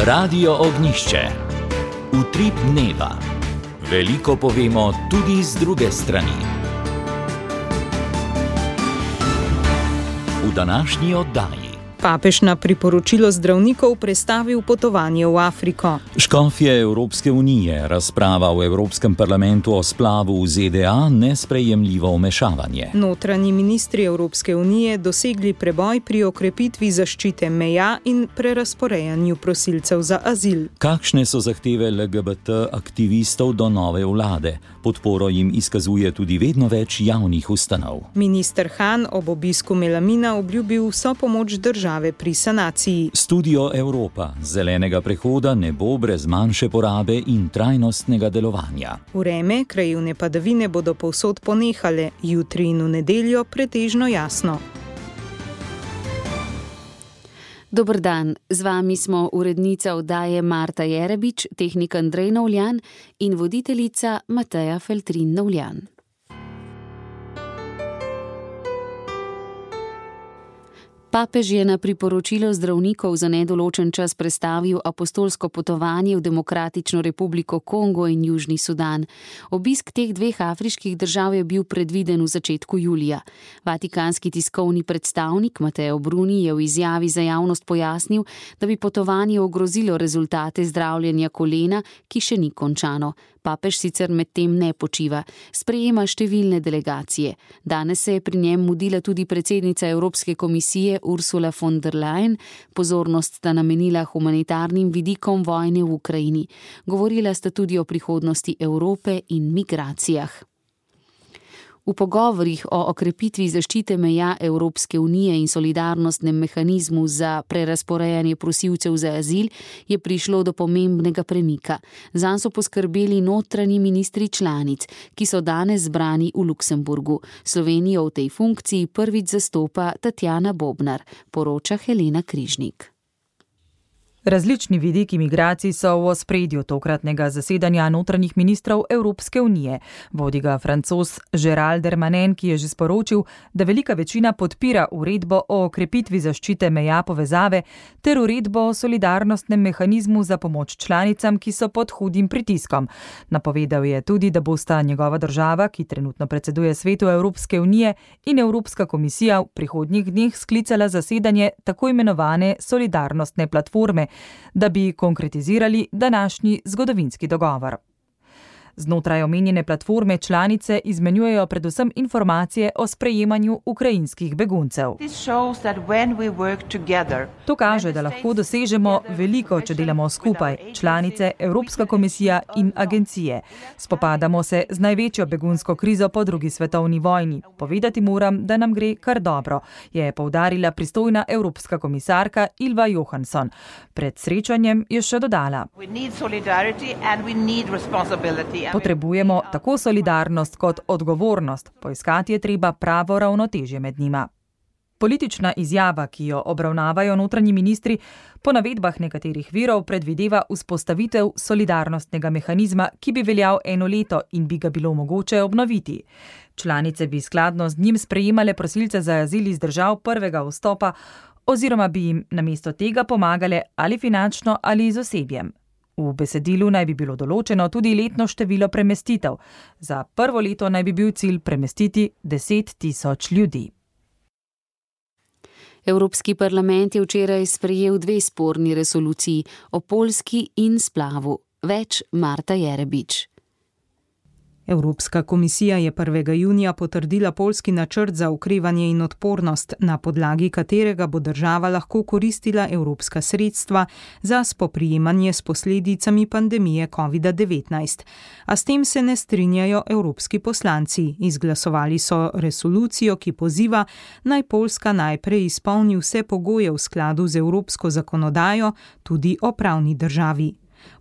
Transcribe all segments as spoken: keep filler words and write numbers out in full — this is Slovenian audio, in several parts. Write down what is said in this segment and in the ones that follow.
Radio Ognjišče. Utrip dneva. Veliko povemo tudi z druge strani. V današnji oddaji. Papež na priporočilo zdravnikov prestavil potovanje v Afriko. Škofje Evropske unije, razprava v Evropskem parlamentu o splavu v Z D A, nesprejemljivo vmešavanje. Notranji ministri Evropske unije dosegli preboj pri okrepitvi zaščite meja in prerazporejanju prosilcev za azil. Kakšne so zahteve L G B T aktivistov do nove vlade? Podporo jim izkazuje tudi vedno več javnih ustanov. Minister Han ob obisku Melamina obljubil vso pomoč države pri sanaciji. Studio Evropa, zelenega prehoda ne bo brez manjše porabe in trajnostnega delovanja. Vreme, krajevne padavine bodo povsod ponehale, jutri in v nedeljo pretežno jasno. Dober dan, z vami smo urednica oddaje Marta Jerebič, tehnik Andrej Novljan in voditeljica Mateja Feltrin Novljan. Papež je na priporočilo zdravnikov za nedoločen čas prestavil apostolsko potovanje v Demokratično republiko Kongo in Južni Sudan. Obisk teh dveh afriških držav je bil predviden v začetku julija. Vatikanski tiskovni predstavnik Mateo Bruni je v izjavi za javnost pojasnil, da bi potovanje ogrozilo rezultate zdravljenja kolena, ki še ni končano. Papež sicer med tem ne počiva, sprejema številne delegacije. Danes se je pri njem mudila tudi predsednica Evropske komisije Ursula von der Leyen, pozornost sta namenila humanitarnim vidikom vojne v Ukrajini. Govorila sta tudi o prihodnosti Evrope in migracijah. V pogovorih o okrepitvi zaščite meja Evropske unije in solidarnostnem mehanizmu za prerazporejanje prosilcev za azil je prišlo do pomembnega premika. Zanj so poskrbeli notranji ministri članic, ki so danes zbrani v Luksemburgu. Slovenijo v tej funkciji prvič zastopa Tatjana Bobnar, poroča Helena Križnik. Različni vidiki migracij so v ospredju tokratnega zasedanja notranjih ministrov Evropske unije. Vodi ga Francoz Gérald Darmanin, ki je že sporočil, da velika večina podpira uredbo o okrepitvi zaščite meja povezave ter uredbo o solidarnostnem mehanizmu za pomoč članicam, ki so pod hudim pritiskom. Napovedal je tudi, da bosta njegova država, ki trenutno predseduje Svetu Evropske unije, in Evropska komisija v prihodnjih dneh sklicala zasedanje tako imenovane solidarnostne platforme, da bi konkretizirali današnji zgodovinski dogovor. Znotraj omenjene platforme članice izmenjujejo predvsem informacije o sprejemanju ukrajinskih beguncev. To kaže, da lahko dosežemo veliko, če delamo skupaj, članice, Evropska komisija in agencije. Spopadamo se z največjo begunsko krizo po drugi svetovni vojni. Povedati moram, da nam gre kar dobro, je poudarila pristojna evropska komisarka Ylva Johansson. Pred srečanjem je še dodala: potrebujemo tako solidarnost kot odgovornost, poiskati je treba pravo ravnotežje med njima. Politična izjava, ki jo obravnavajo notranji ministri, po navedbah nekaterih virov predvideva vzpostavitev solidarnostnega mehanizma, ki bi veljal eno leto in bi ga bilo mogoče obnoviti. Članice bi skladno z njim sprejemale prosilce za azil iz držav prvega vstopa oziroma bi jim namesto tega pomagale ali finančno ali z osebjem. V besedilu naj bi bilo določeno tudi letno število premestitev. Za prvo leto naj bi bil cilj premestiti deset tisoč ljudi. Evropski parlament je včeraj sprejel dve sporni resoluciji o Poljski in splavu. Več Marta Jerebič. Evropska komisija je prvega junija potrdila poljski načrt za okrevanje in odpornost, na podlagi katerega bo država lahko koristila evropska sredstva za spoprijemanje s posledicami pandemije covid devetnajst. A s tem se ne strinjajo evropski poslanci. Izglasovali so resolucijo, ki poziva, naj Poljska najprej izpolni vse pogoje v skladu z evropsko zakonodajo, tudi o pravni državi.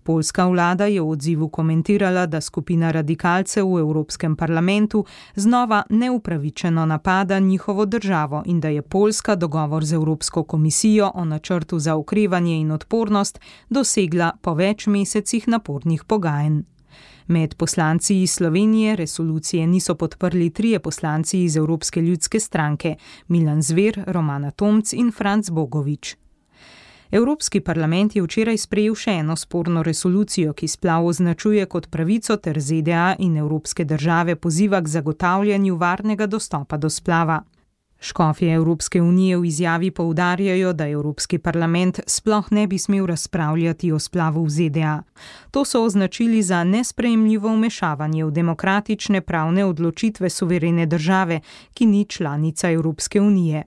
Poljska vlada je v odzivu komentirala, da skupina radikalcev v Evropskem parlamentu znova neupravičeno napada njihovo državo in da je Poljska dogovor z Evropsko komisijo o načrtu za okrevanje in odpornost dosegla po več mesecih napornih pogajanj. Med poslanci iz Slovenije resolucije niso podprli trije poslanci iz Evropske ljudske stranke, Milan Zver, Romana Tomc in Franc Bogovič. Evropski parlament je včeraj sprejel še eno sporno resolucijo, ki splav označuje kot pravico ter Z D A in evropske države poziva k zagotavljanju varnega dostopa do splava. Škofje Evropske unije v izjavi poudarjajo, da Evropski parlament sploh ne bi smel razpravljati o splavu v Z D A. To so označili za nesprejemljivo vmešavanje v demokratične pravne odločitve suverene države, ki ni članica Evropske unije.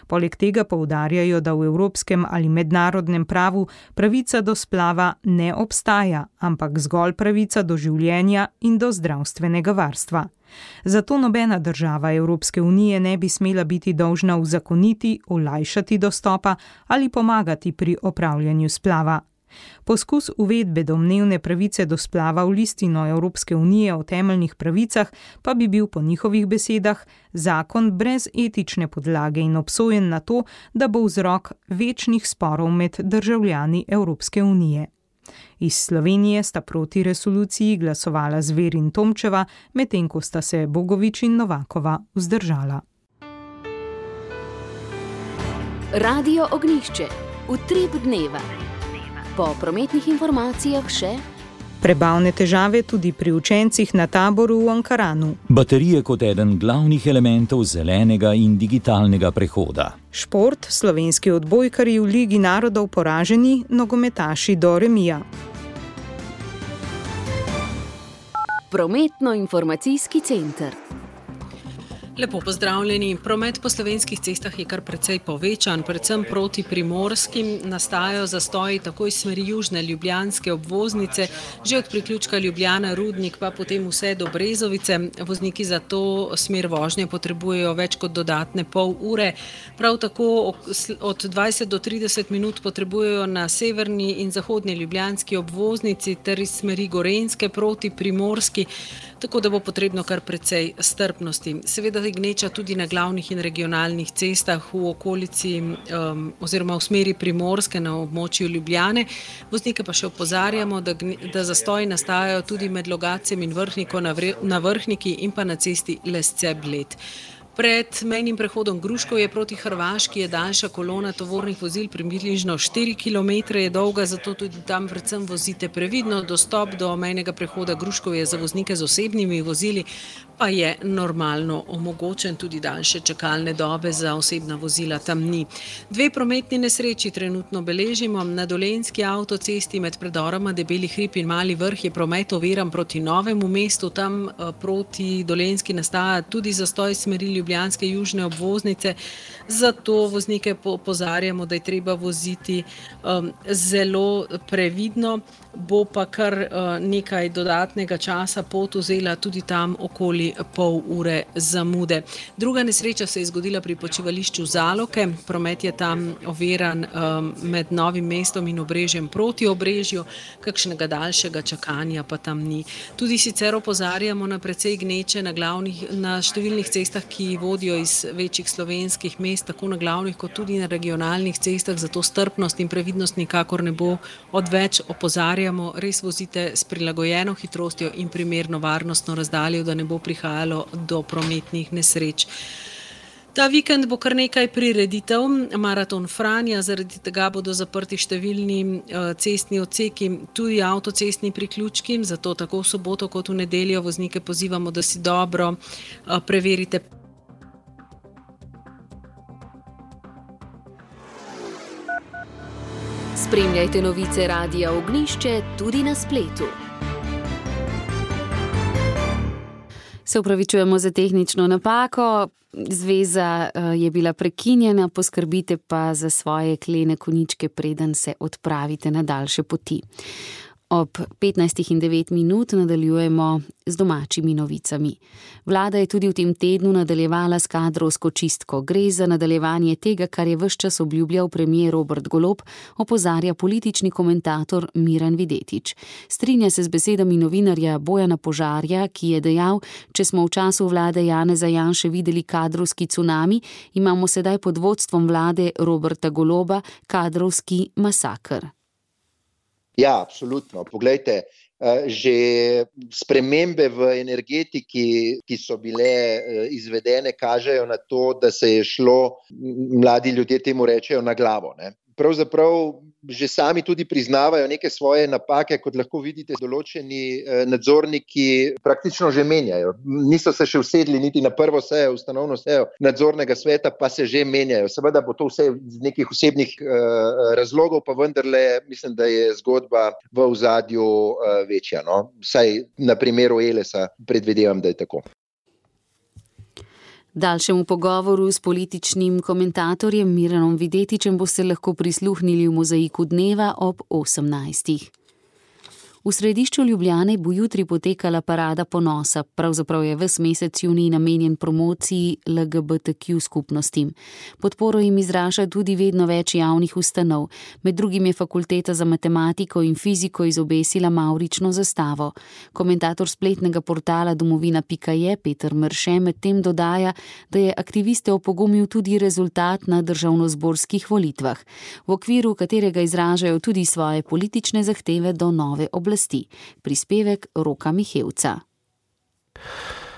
Poleg tega poudarjajo, da v evropskem ali mednarodnem pravu pravica do splava ne obstaja, ampak zgolj pravica do življenja in do zdravstvenega varstva. Zato nobena država Evropske unije ne bi smela biti dolžna uzakoniti, olajšati dostopa ali pomagati pri opravljanju splava. Poskus uvedbe domnevne pravice do splava v listino Evropske unije o temeljnih pravicah pa bi bil po njihovih besedah zakon brez etične podlage in obsojen na to, da bo vzrok večnih sporov med državljani Evropske unije. Iz Slovenije sta proti resoluciji glasovala Zver in Tomčeva, medtem ko sta se Bogovič in Novakova vzdržala. Radio Ognjišče. Utrip dneva. Po prometnih informacijah še prebavne težave tudi pri učencih na taboru v Ankaranu. Baterije kot eden glavnih elementov zelenega in digitalnega prehoda. Šport, slovenski odbojkarji v Ligi narodov poraženi, nogometaši do remija. Prometno-informacijski center. Lepo pozdravljeni. Promet po slovenskih cestah je kar precej povečan, predvsem proti primorskim. Nastajajo zastoji tako iz smeri južne ljubljanske obvoznice, že od priključka Ljubljana-Rudnik pa potem vse do Brezovice. Vozniki za to smer vožnje potrebujejo več kot dodatne pol ure. Prav tako od dvajset do trideset minut potrebujejo na severni in zahodni ljubljanski obvoznici ter iz smeri Gorenjske proti primorski, tako da bo potrebno kar precej strpnosti. Seveda gneča tudi na glavnih in regionalnih cestah v okolici um, oziroma v smeri Primorske na območju Ljubljane. Voznike pa še opozarjamo, da, da zastoji nastajajo tudi med Logatcem in Vrhniko na, vre, na Vrhniki in pa na cesti Lesce-Bled. Pred mejnim prehodom Gruškovje proti Hrvaški je daljša kolona tovornih vozil, približno štiri kilometre je dolga, zato tudi tam predvsem vozite previdno. Dostop do mejnega prehoda Gruškovje za voznike z osebnimi vozili pa je normalno omogočen, tudi daljše čakalne dobe za osebna vozila tam ni. Dve prometni nesreči trenutno beležimo. Na Dolenjski avtocesti med predoroma Debeli hrib in Mali vrh je promet oviran proti Novemu mestu. Tam proti Dolenjski nastaja tudi zastoj smeri ljubljanske južne obvoznice, zato voznike opozarjamo, da je treba voziti um, zelo previdno, bo pa kar uh, nekaj dodatnega časa pot vzela tudi tam okoli pol ure zamude. Druga nesreča se je zgodila pri počivališču Zaloke. Promet je tam oviran um, med Novim mestom in Obrežjem proti Obrežju, kakšnega daljšega čakanja pa tam ni. Tudi sicer opozarjamo na precej gneče na, glavnih, na številnih cestah, ki vodijo iz večjih slovenskih mest, tako na glavnih kot tudi na regionalnih cestah, zato strpnost in previdnost nikakor ne bo odveč. Opozarjamo, res vozite s prilagojeno hitrostjo in primerno varnostno razdaljo, da ne bo prihajalo do prometnih nesreč. Ta vikend bo kar nekaj prireditev, maraton Franja, zaradi tega bodo zaprti številni cestni odseki, tudi avtocestni priključki, zato tako v soboto kot v nedeljo voznike pozivamo, da si dobro preverite. Spremljajte novice Radia Ognjišče tudi na spletu. Se upravičujemo za tehnično napako. Zveza je bila prekinjena, poskrbite pa za svoje klene koničke, preden se odpravite na daljše poti. Ob petnajstih in devet minut nadaljujemo z domačimi novicami. Vlada je tudi v tem tednu nadaljevala s kadrovsko čistko. Gre za nadaljevanje tega, kar je ves čas obljubljal premier Robert Golob, opozarja politični komentator Miran Videtič. Strinja se z besedami novinarja Bojana Požarja, ki je dejal, če smo v času vlade Janeza Janše videli kadrovski cunami, imamo sedaj pod vodstvom vlade Roberta Goloba kadrovski masaker. Ja, absolutno. Poglejte, že spremembe v energetiki, ki so bile izvedene, kažejo na to, da se je šlo, mladi ljudje temu rečejo, na glavo, ne. pravzaprav že sami tudi priznavajo neke svoje napake, kot lahko vidite, določeni nadzorniki praktično že menjajo. Niso se še usedli niti na prvo sejo, ustanovno sejo nadzornega sveta, pa se že menjajo. Seveda bo to vse iz nekih osebnih uh, razlogov, pa vendarle mislim, da je zgodba v ozadju uh, večja. No? Vsaj na primeru Elesa predvidevam, da je tako. Daljšemu pogovoru s političnim komentatorjem Miranom Videtičem boste lahko prisluhnili v Mozaiku dneva ob osemnajstih. V središču Ljubljane bo jutri potekala parada ponosa, pravzaprav je ves mesec junij namenjen promociji L G B T Q skupnostim. Podporo jim izraža tudi vedno več javnih ustanov, med drugim je Fakulteta za matematiko in fiziko izobesila mavrično zastavo. Komentator spletnega portala domovina pika je Peter Mrše medtem dodaja, da je aktiviste opogumil tudi rezultat na državnozborskih volitvah, v okviru katerega izražajo tudi svoje politične zahteve do nove oblasti. Prispevek Roka Mihevca.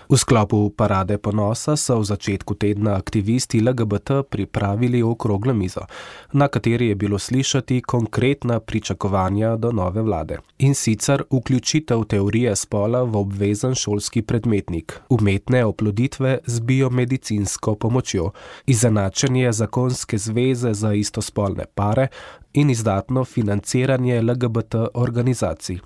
V sklopu parade ponosa so v začetku tedna aktivisti L G B T pripravili okroglo mizo, na kateri je bilo slišati konkretna pričakovanja do nove vlade. In sicer vključitev teorije spola v obvezen šolski predmetnik, umetne oploditve z biomedicinsko pomočjo, izenačenje zakonske zveze za istospolne pare in izdatno financiranje L G B T organizacij.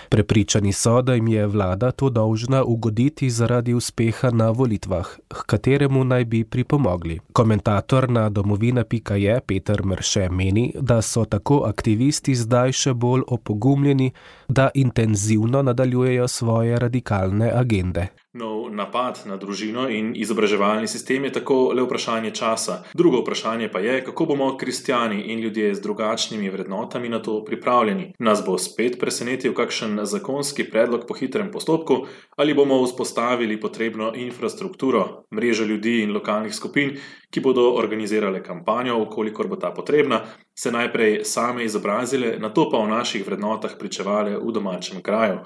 Prepričani so, da jim je vlada to dolžna ugoditi zaradi uspeha na volitvah, k kateremu naj bi pripomogli. Komentator na domovina pika je Peter Mrše meni, da so tako aktivisti zdaj še bolj opogumljeni, da intenzivno nadaljujejo svoje radikalne agende. Nov napad na družino in izobraževalni sistem je tako le vprašanje časa. Drugo vprašanje pa je, kako bomo kristjani in ljudje z drugačnimi vrednotami na to pripravljeni. Nas bo spet presenetil kakšen zakonski predlog po hitrem postopku ali bomo vzpostavili potrebno infrastrukturo, mrežo ljudi in lokalnih skupin, ki bodo organizirale kampanjo, ukolikor bo ta potrebna, se najprej same izobrazile, nato pa o naših vrednotah pričevale v domačem kraju.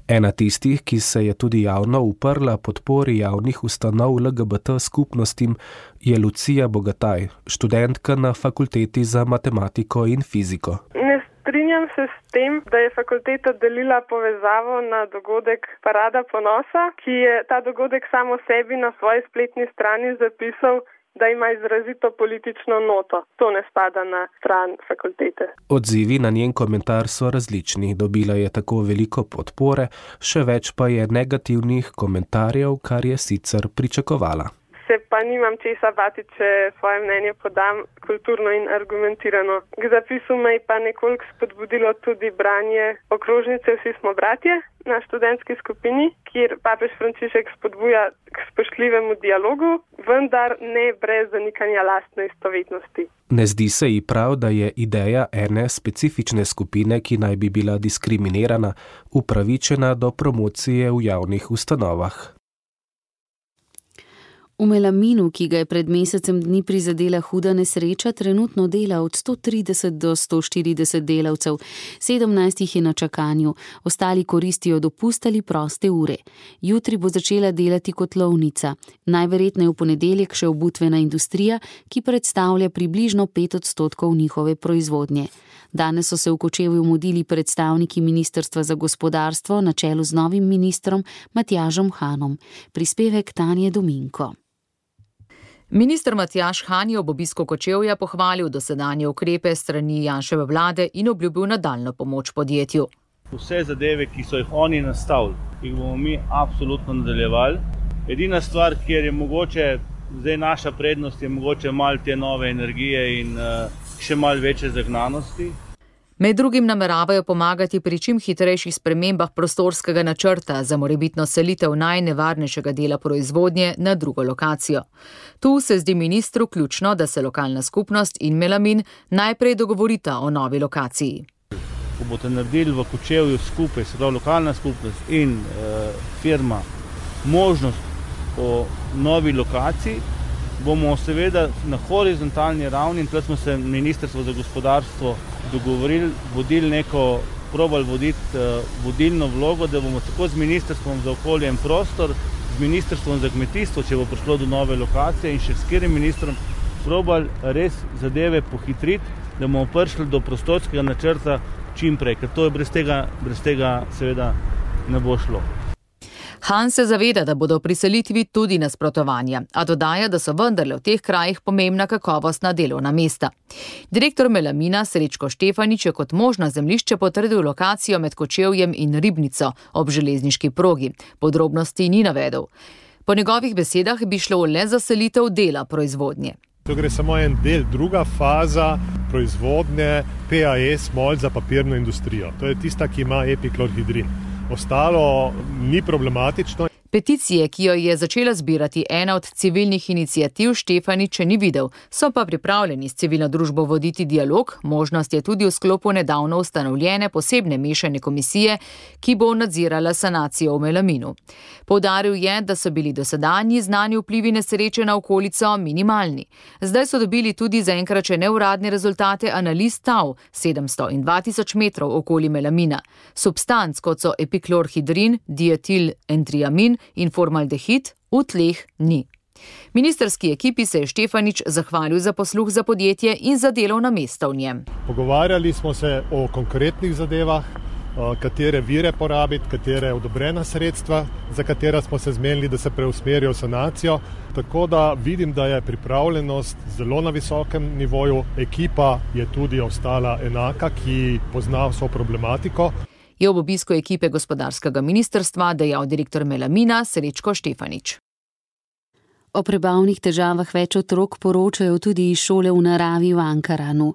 Ena tistih, ki se je tudi javno uprla podpori javnih ustanov L G B T skupnostim, je Lucija Bogataj, študentka na Fakulteti za matematiko in fiziko. Ne strinjam se s tem, da je fakulteta delila povezavo na dogodek Parada ponosa, ki je ta dogodek samo sebi na svoji spletni strani zapisal, da ima izrazito politično noto. To ne spada na stran fakultete. Odzivi na njen komentar so različni. Dobila je tako veliko podpore, še več pa je negativnih komentarjev, kar je sicer pričakovala. Se pa nimam česa bati, če svoje mnenje podam kulturno in argumentirano. K zapisu me je pa nekoliko spodbudilo tudi branje okrožnice Vsi smo bratje na študentski skupini, kjer papež Frančišek spodbuja k spoštljivemu dialogu, vendar ne brez zanikanja lastne istovetnosti. Ne zdi se ji prav, da je ideja ene specifične skupine, ki naj bi bila diskriminirana, upravičena do promocije v javnih ustanovah. V Melaminu, ki ga je pred mesecem dni prizadela huda nesreča, trenutno dela od sto trideset do sto štirideset delavcev, sedemnajst jih je na čakanju, ostali koristijo dopust ali proste ure. Jutri bo začela delati kotlovnica, najverjetneje v ponedeljek še obutvena industrija, ki predstavlja približno pet odstotkov njihove proizvodnje. Danes so se v Kočevju mudili predstavniki Ministrstva za gospodarstvo na čelu z novim ministrom Matjažem Hanom. Prispevek Tanje Dominko. Minister Matjaž Han je ob obisku Kočevja pohvalil dosedanje ukrepe strani Janševe vlade in obljubil nadaljnjo pomoč podjetju. Vse zadeve, ki so jih oni nastavili, jih bomo mi absolutno nadaljevali. Edina stvar, kjer je mogoče, zdaj naša prednost je mogoče malo te nove energije in uh, še malo večje zagnanosti. Med drugim nameravajo pomagati pri čim hitrejših spremembah prostorskega načrta za morebitno selitev najnevarnejšega dela proizvodnje na drugo lokacijo. Tu se zdi ministru ključno, da se lokalna skupnost in Melamin najprej dogovorita o novi lokaciji. Ko boste naredili v Kočevju skupaj, se pravi lokalna skupnost in e, firma, možnost o novi lokaciji, bomo seveda na horizontalni ravni, in tukaj smo se Ministrstvo za gospodarstvo dogovorili, vodili neko, probali voditi uh, vodilno vlogo, da bomo tako z Ministrstvom za okolje in prostor, z Ministrstvom za kmetijstvo, če bo prišlo do nove lokacije in še s katerim ministrom, probali res zadeve pohitriti, da bomo prišli do prostorskega načrta čim prej, ker to je brez tega, brez tega seveda ne bo šlo. Han se zaveda, da bodo pri selitvi tudi nasprotovanja, a dodaja, da so vendarle v teh krajih pomembna kakovostna delovna mesta. Direktor Melamina Srečko Štefanič je kot možno zemljišče potrdil lokacijo med Kočevjem in Ribnico ob železniški progi. Podrobnosti ni navedel. Po njegovih besedah bi šlo le za selitev dela proizvodnje. To gre samo en del, druga faza proizvodnje P A E smol za papirno industrijo. To je tista, ki ima epiklorhidrin. Ostalo ni problematično. Peticije, ki jo je začela zbirati ena od civilnih iniciativ, Štefanič ni videl, so pa pripravljeni s civilno družbo voditi dialog, možnost je tudi v sklopu nedavno ustanovljene posebne mešane komisije, ki bo nadzirala sanacijo v Melaminu. Poudaril je, da so bili dosedanji znani vplivi nesreče na okolico minimalni. Zdaj so dobili tudi zaenkrat še neuradne rezultate analiz tav sedemsto in dva tisoč metrov okoli Melamina. Substanc, kot so epiklorhidrin, dietil entriamin in formaldehid, v tleh ni. Ministrski ekipi se je Štefanič zahvalil za posluh za podjetje in za delovna mesta v njem. Pogovarjali smo se o konkretnih zadevah, katere vire porabiti, katere odobrena sredstva, za katera smo se zmenili, da se preusmerijo v sanacijo. Tako da vidim, da je pripravljenost zelo na visokem nivoju. Ekipa je tudi ostala enaka, ki pozna vso problematiko. Je ob obisku ekipe gospodarskega ministrstva dejal direktor Melamina Srečko Štefanič. O prebavnih težavah več otrok poročajo tudi iz šole v naravi v Ankaranu.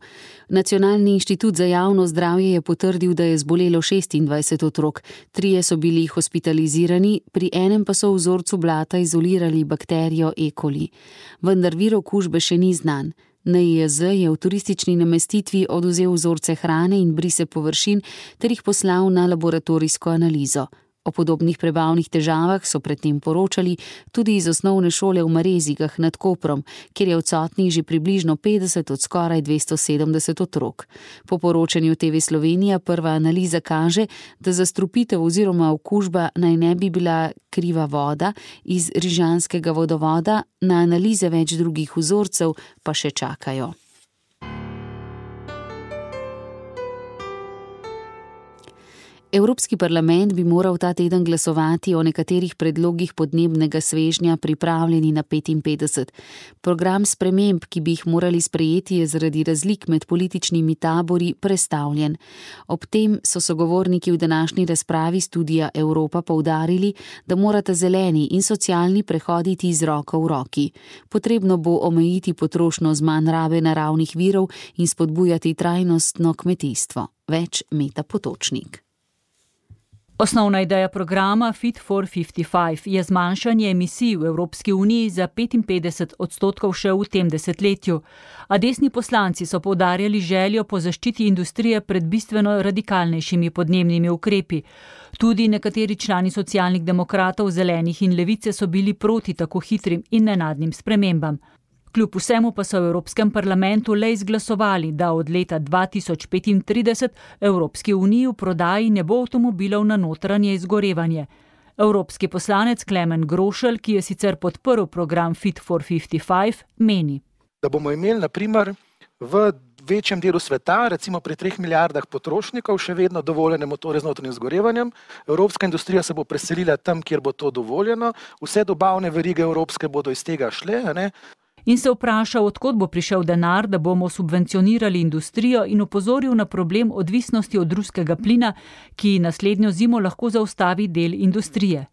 Nacionalni inštitut za javno zdravje je potrdil, da je zbolelo šestindvajset otrok. Trije so bili hospitalizirani, pri enem pa so v vzorcu blata izolirali bakterijo E. coli. Vendar vir okužbe še ni znan. N I J Z je v turistični namestitvi odvzel vzorce hrane in brise površin ter jih poslal na laboratorijsko analizo. O podobnih prebavnih težavah so predtem poročali tudi iz osnovne šole v Marezigah nad Koprom, kjer je odsotnih že približno petdeset od skoraj dvesto sedemdeset otrok. Po poročanju T V Slovenija prva analiza kaže, da zastrupitev oziroma okužba naj ne bi bila kriva voda iz rižanskega vodovoda, na analize več drugih vzorcev pa še čakajo. Evropski parlament bi moral ta teden glasovati o nekaterih predlogih podnebnega svežnja pripravljeni na petinpetdeset. Program sprememb, ki bi jih morali sprejeti, je zaradi razlik med političnimi tabori prestavljen. Ob tem so sogovorniki v današnji razpravi Studia Evropa poudarili, da morata zeleni in socialni prehoditi iz roko v roki. Potrebno bo omejiti potrošnjo z manj rabe naravnih virov in spodbujati trajnostno kmetijstvo. Več Meta Potočnik. Osnovna ideja programa Fit for petdeset pet je zmanjšanje emisij v Evropski uniji za petinpetdeset odstotkov še v tem desetletju, a desni poslanci so poudarjali željo po zaščiti industrije pred bistveno radikalnejšimi podnebnimi ukrepi. Tudi nekateri člani socialnih demokratov, zelenih in levice so bili proti tako hitrim in nenadnim spremembam. Kljub vsemu pa so v Evropskem parlamentu le izglasovali, da od leta dva tisoč petintrideset Evropski uniji v prodaji ne bo avtomobilov na notranje izgorevanje. Evropski poslanec Klemen Grošelj, ki je sicer podprl program Fit for petdeset pet, meni. Da bomo imeli na primer v večjem delu sveta, recimo pri treh milijardah potrošnikov, še vedno dovoljene motore z notranjim izgorevanjem. Evropska industrija se bo preselila tam, kjer bo to dovoljeno. Vse dobavne verige evropske bodo iz tega šle, ne? In se vprašal, odkot bo prišel denar, da bomo subvencionirali industrijo, in opozoril na problem odvisnosti od ruskega plina, ki naslednjo zimo lahko zaustavi del industrije.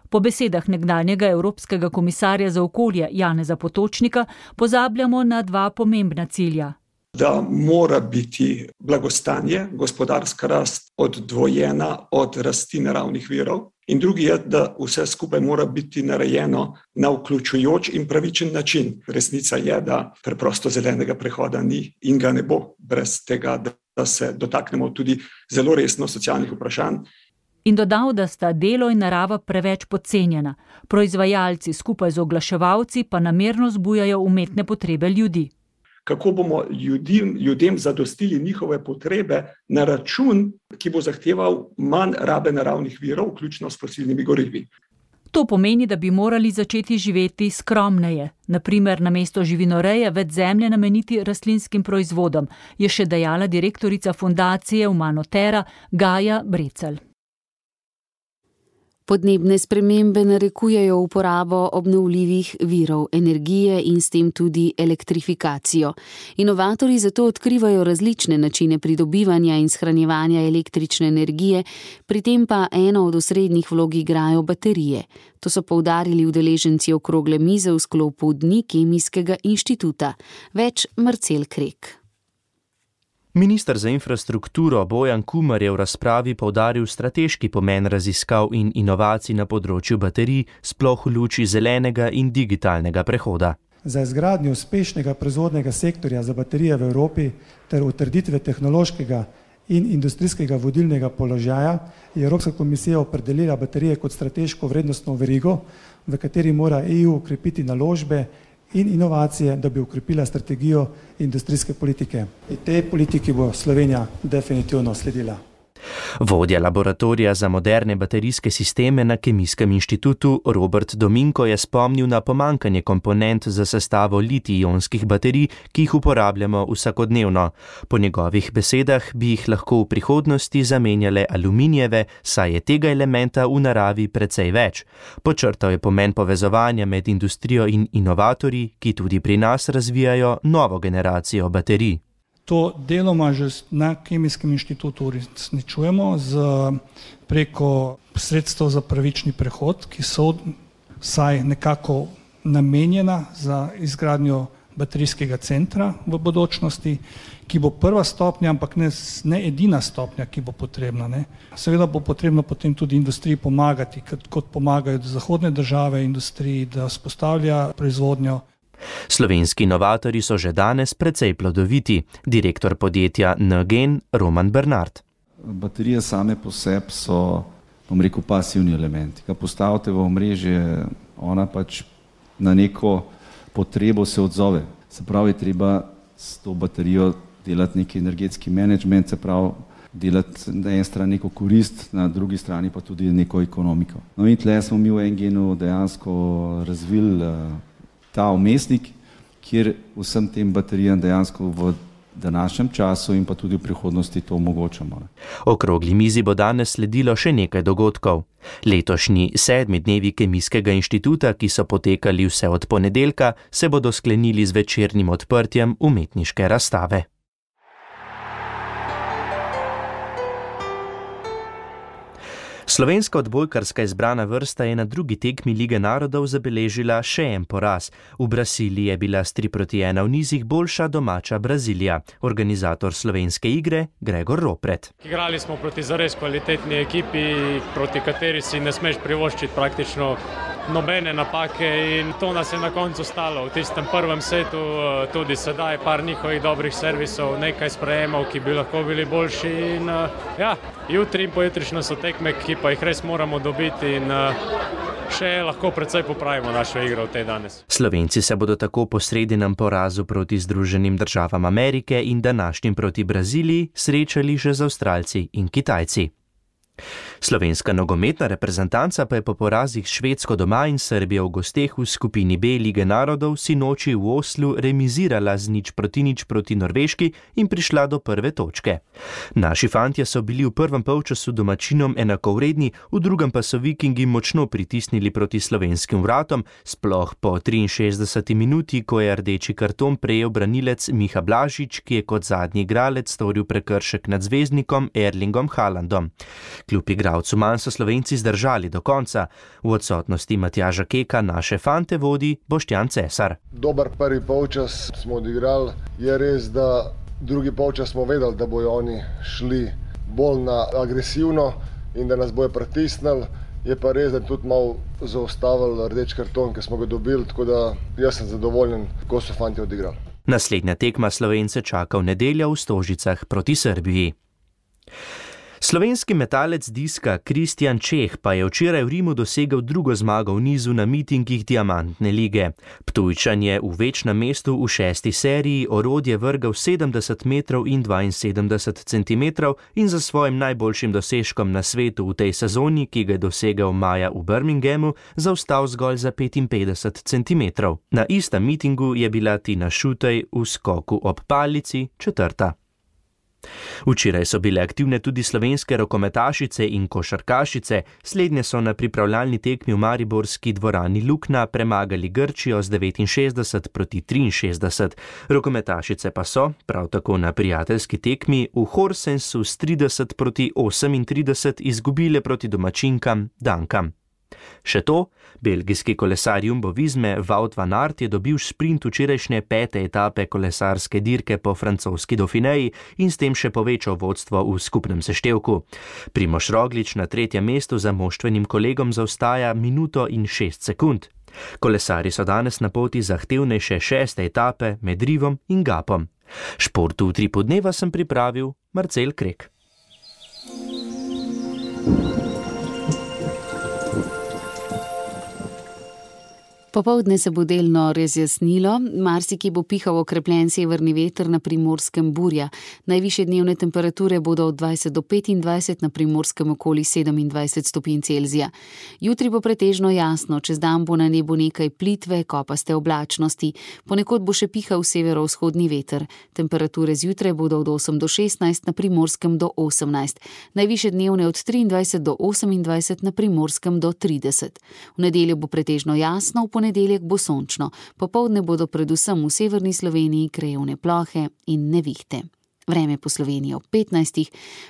Po besedah nekdanjega evropskega komisarja za okolje Janeza Potočnika pozabljamo na dva pomembna cilja. Da mora biti blagostanje, gospodarska rast oddvojena od rasti naravnih virov. In drugi je, da vse skupaj mora biti narejeno na vključujoč in pravičen način. Resnica je, da preprosto zelenega prehoda ni in ga ne bo brez tega, da se dotaknemo tudi zelo resno socialnih vprašanj. In dodal, da sta delo in narava preveč podcenjena. Proizvajalci skupaj z oglaševalci pa namerno zbujajo umetne potrebe ljudi. Kako bomo ljudem, ljudem zadostili njihove potrebe na račun, ki bo zahteval manj rabe naravnih virov, vključno s fosilnimi gorivi. To pomeni, da bi morali začeti živeti skromneje, naprimer namesto živinoreje več zemlje nameniti rastlinskim proizvodom, je še dejala direktorica fundacije Humanotera Gaja Brecelj. Podnebne spremembe narekujejo uporabo obnovljivih virov energije in s tem tudi elektrifikacijo. Inovatorji zato odkrivajo različne načine pridobivanja in shranjevanja električne energije, pri tem pa eno od osrednjih vlog igrajo baterije. To so poudarili udeleženci okrogle mize v sklopu Dni Kemijskega inštituta. Več Marcel Krek. Minister za infrastrukturo Bojan Kumer je v razpravi poudaril strateški pomen raziskav in inovacij na področju baterij, sploh v luči zelenega in digitalnega prehoda. Za izgradnjo uspešnega proizvodnega sektorja za baterije v Evropi ter utrditve tehnološkega in industrijskega vodilnega položaja je Evropska komisija opredelila baterije kot strateško vrednostno verigo, v kateri mora E U ukrepiti naložbe in inovacije, da bi ukrepila strategijo industrijske politike. In tej politiki bo Slovenija definitivno sledila. Vodja laboratorija za moderne baterijske sisteme na Kemijskem inštitutu Robert Dominko je spomnil na pomankanje komponent za sestavo litij-ionskih baterij, ki jih uporabljamo vsakodnevno. Po njegovih besedah bi jih lahko v prihodnosti zamenjale aluminijeve, saj je tega elementa v naravi precej več. Podčrtal je pomen povezovanja med industrijo in inovatorji, ki tudi pri nas razvijajo novo generacijo baterij. To deloma že na Kemijskem inštitutu uresničujemo z preko sredstev za pravični prehod, ki so vsaj nekako namenjena za izgradnjo baterijskega centra v bodočnosti, ki bo prva stopnja, ampak ne, ne edina stopnja, ki bo potrebna. Ne. Seveda bo potrebno potem tudi industriji pomagati, kot, kot pomagajo zahodne države industriji, da vzpostavlja proizvodnjo. Slovenski inovatorji so že danes precej plodoviti, direktor podjetja N-Gen Roman Bernard. Baterije same po sebi so, bom rekel, pasivni elementi. Ko postavite v omrežje, ona pač na neko potrebo se odzove. Se pravi, treba s to baterijo delati neki energetski menedžment, se pravi, delati na eni strani neko korist, na drugi strani pa tudi neko ekonomiko. No in tle smo mi v N-Genu dejansko razvili ta umestnik, kjer vsem tem baterijam dejansko v današnjem času in pa tudi v prihodnosti to omogočamo. Okrogli mizi bo danes sledilo še nekaj dogodkov. Letošnji sedmi dnevi Kemijskega inštituta, ki so potekali vse od ponedeljka, se bodo sklenili z večernim odprtjem umetniške razstave. Slovenska odbojkarska izbrana vrsta je na drugi tekmi Lige narodov zabeležila še en poraz. V Braziliji je bila s tri proti ena v nizih boljša domača Brazilija. Organizator slovenske igre Gregor Ropret. Igrali smo proti zares kvalitetni ekipi, proti kateri si ne smeš privoščiti praktično nobene napake in to nas je na koncu stalo. V tistem prvem setu tudi sedaj par njihovih dobrih servisov, nekaj sprejemov, ki bi lahko bili boljši in ja, jutri in pojutrišnjo so tekme, ki pa jih res moramo dobiti in še lahko precej popravimo našo igro v tej danes. Slovenci se bodo tako po sredinem porazu proti Združenim državam Amerike in današnjim proti Braziliji srečali že z Avstralci in Kitajci. Slovenska nogometna reprezentanca pa je po porazih Švedsko doma in Srbijo v gosteh v skupini B Lige narodov sinoči v Oslu remizirala z nič proti nič proti Norveški in prišla do prve točke. Naši fantje so bili v prvem polčasu domačinom enakovredni, v drugem pa so Vikingi močno pritisnili proti slovenskim vratom, sploh po triinšestdeseti minuti, ko je rdeči karton prejel branilec Miha Blažič, ki je kot zadnji igralec storil prekršek nad zvezdnikom Erlingom Haalandom. Kljub igralcu manj so Slovenci zdržali do konca. V odsotnosti Matjaža Keka naše fante vodi Boštjan Cesar. Dober prvi polčas smo odigrali. Je res, da drugi polčas smo vedeli, da bojo oni šli bolj na agresivno in da nas bojo pritisnili. Je pa res, da tudi malo zaustavili rdeč karton, ki smo ga dobili, tako da jaz sem zadovoljen, ko so fanti odigrali. Naslednja tekma Slovence čaka v nedeljo v Stožicah proti Srbiji. Slovenski metalec diska Kristjan Čeh pa je včeraj v Rimu dosegel drugo zmago v nizu na mitingih Diamantne lige. Ptujčan je v večnem mestu v šesti seriji orodje vrgel sedemdeset metrov in dvainsedemdeset centimetrov in za svojim najboljšim dosežkom na svetu v tej sezoni, ki ga je dosegel maja v Birminghamu, zaostal zgolj za petinpetdeset centimetrov. Na istem mitingu je bila Tina Šutej v skoku ob palici četrta. Včeraj so bile aktivne tudi slovenske rokometašice in košarkašice, slednje so na pripravljalni tekmi v mariborski dvorani Lukna premagali Grčijo z devetinšestdeset proti triinšestdeset. Rokometašice pa so, prav tako na prijateljski tekmi, v Horsensu s trideset proti osemintrideset izgubile proti domačinkam Dankam. Še to, belgijski kolesar Jumbo Visme Wout van Aert je dobil sprint včerajšnje pete etape kolesarske dirke po francoski Dauphineji in s tem še povečal vodstvo v skupnem seštevku. Primož Roglič na tretjem mestu za moštvenim kolegom zaostaja minuto in šest sekund. Kolesarji so danes na poti zahtevnejše šeste etape med Rivom in Gapom. Športu v Tripu dneva sem pripravil Marcel Krek. Popoldne se bo delno razjasnilo, marsikje bo pihal okrepljen severni veter, na Primorskem burja. Najvišje dnevne temperature bodo od dvajset do petindvajset, na Primorskem okoli sedemindvajset stopinj Celzija. Jutri bo pretežno jasno, čez dan bo na nebu nekaj plitve, kopaste oblačnosti. Ponekod bo še pihal severovzhodni veter. Temperature zjutraj bodo od osem do šestnajst, na Primorskem do osemnajst. Najvišje dnevne od triindvajset do osemindvajset, na Primorskem do trideset. V nedeljo bo pretežno jasno, v ponedeljek bo sončno. Popoldne bodo predvsem v severni Sloveniji krajevne plohe in nevihte. Vreme po Sloveniji ob petnajstih,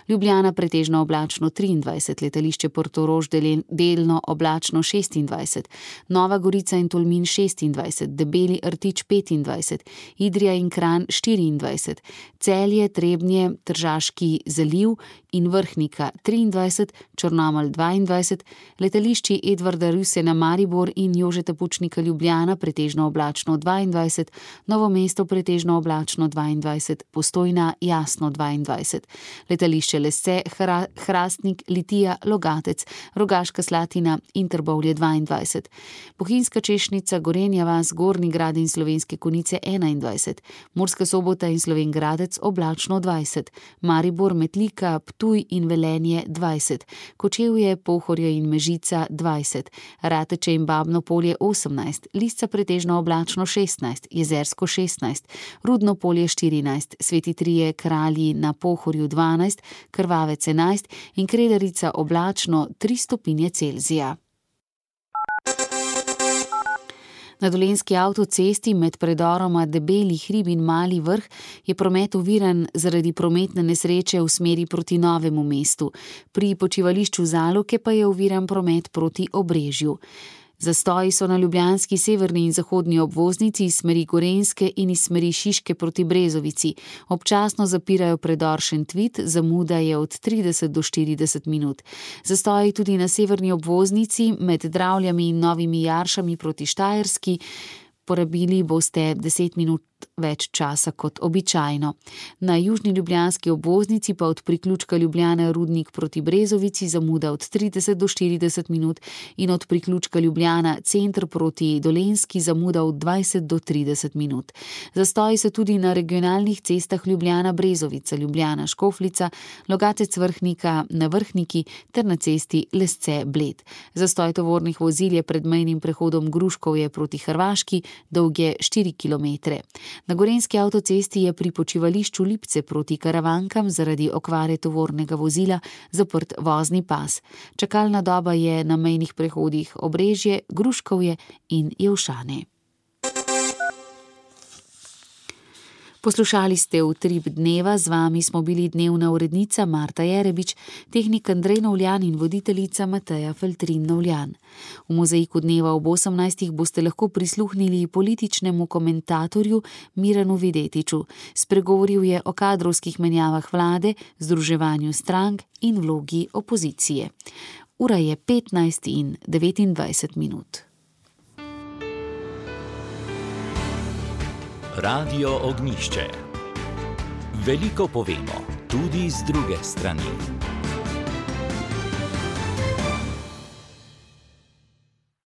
Ljubljana pretežno oblačno triindvajset, letališče Portorož delno oblačno šestindvajset, Nova Gorica in Tolmin šestindvajset, Debeli Rtič petindvajset, Idrija in Kranj štiriindvajset, Celje, Trebnje, Tržaški zaliv in Vrhnika triindvajset, Črnomelj dvaindvajset, letališči Edvarda Rusjana Maribor in Jožeta Pučnika Ljubljana pretežno oblačno dvaindvajset, Novo mesto pretežno oblačno dvaindvajset, Postojna jasno dvaindvajset, letališče Lesce, Hra, Hrastnik, Litija, Logatec, Rogaška Slatina in Trbovlje dvaindvajset, Bohinjska Češnica, Gorenja vas, Gornji Grad in Slovenske Konjice enaindvajset, Murska Sobota in Slovenj Gradec oblačno dvajset, Maribor, Metlika, Ptuj in Velenje dvajset, Kočevje, Pohorje in Mežica dvajset, Rateče in Babno Polje osemnajst, Lisca pretežno oblačno šestnajst, Jezersko šestnajst, Rudno Polje štirinajst, Sveti Trije, Kralji na Pohorju dvanajst, Krvavec enajst in Kredarica oblačno tri stopinje Celzija. Na Dolenjski avtocesti med predoroma Debeli hrib in Mali vrh je promet oviran zaradi prometne nesreče v smeri proti Novemu mestu. Pri počivališču Zaloke pa je oviran promet proti Obrežju. Zastoji so na ljubljanski severni in zahodni obvoznici iz smeri Gorenjske in iz smeri Šiške proti Brezovici. Občasno zapirajo predor Šentvid, zamuda je od trideset do štirideset minut. Zastoji tudi na severni obvoznici med Dravljami in Novimi Jaršami proti Štajerski. Porabili boste deset minut več časa kot običajno. Na južni ljubljanski obvoznici pa od priključka Ljubljana Rudnik proti Brezovici zamuda od trideset do štirideset minut in od priključka Ljubljana Center proti Dolenjski zamuda od dvajset do trideset minut. Zastoji so tudi na regionalnih cestah Ljubljana Brezovica, Ljubljana Škofljica, Logatec Vrhnika na Vrhniki ter na cesti Lesce Bled. Zastoj tovornih vozil je pred mejnim prehodom Gruškovje proti Hrvaški, dolg je štiri kilometre. Na Gorenjski avtocesti je pri počivališču Lipce proti Karavankam zaradi okvare tovornega vozila zaprt vozni pas. Čakalna doba je na mejnih prehodih Obrežje, Gruškovje in Jelšane. Poslušali ste Utrip dneva, z vami smo bili dnevna urednica Marta Jerebič, tehnik Andrej Novljan in voditeljica Mateja Feltrin Novljan. V mozaiku dneva ob osemnajstih boste lahko prisluhnili političnemu komentatorju Miranu Videtiču. Spregovoril je o kadrovskih menjavah vlade, združevanju strank in vlogi opozicije. Ura je petnajst in devetindvajset minut. Radio Ognjišče. Veliko povemo, tudi z druge strani.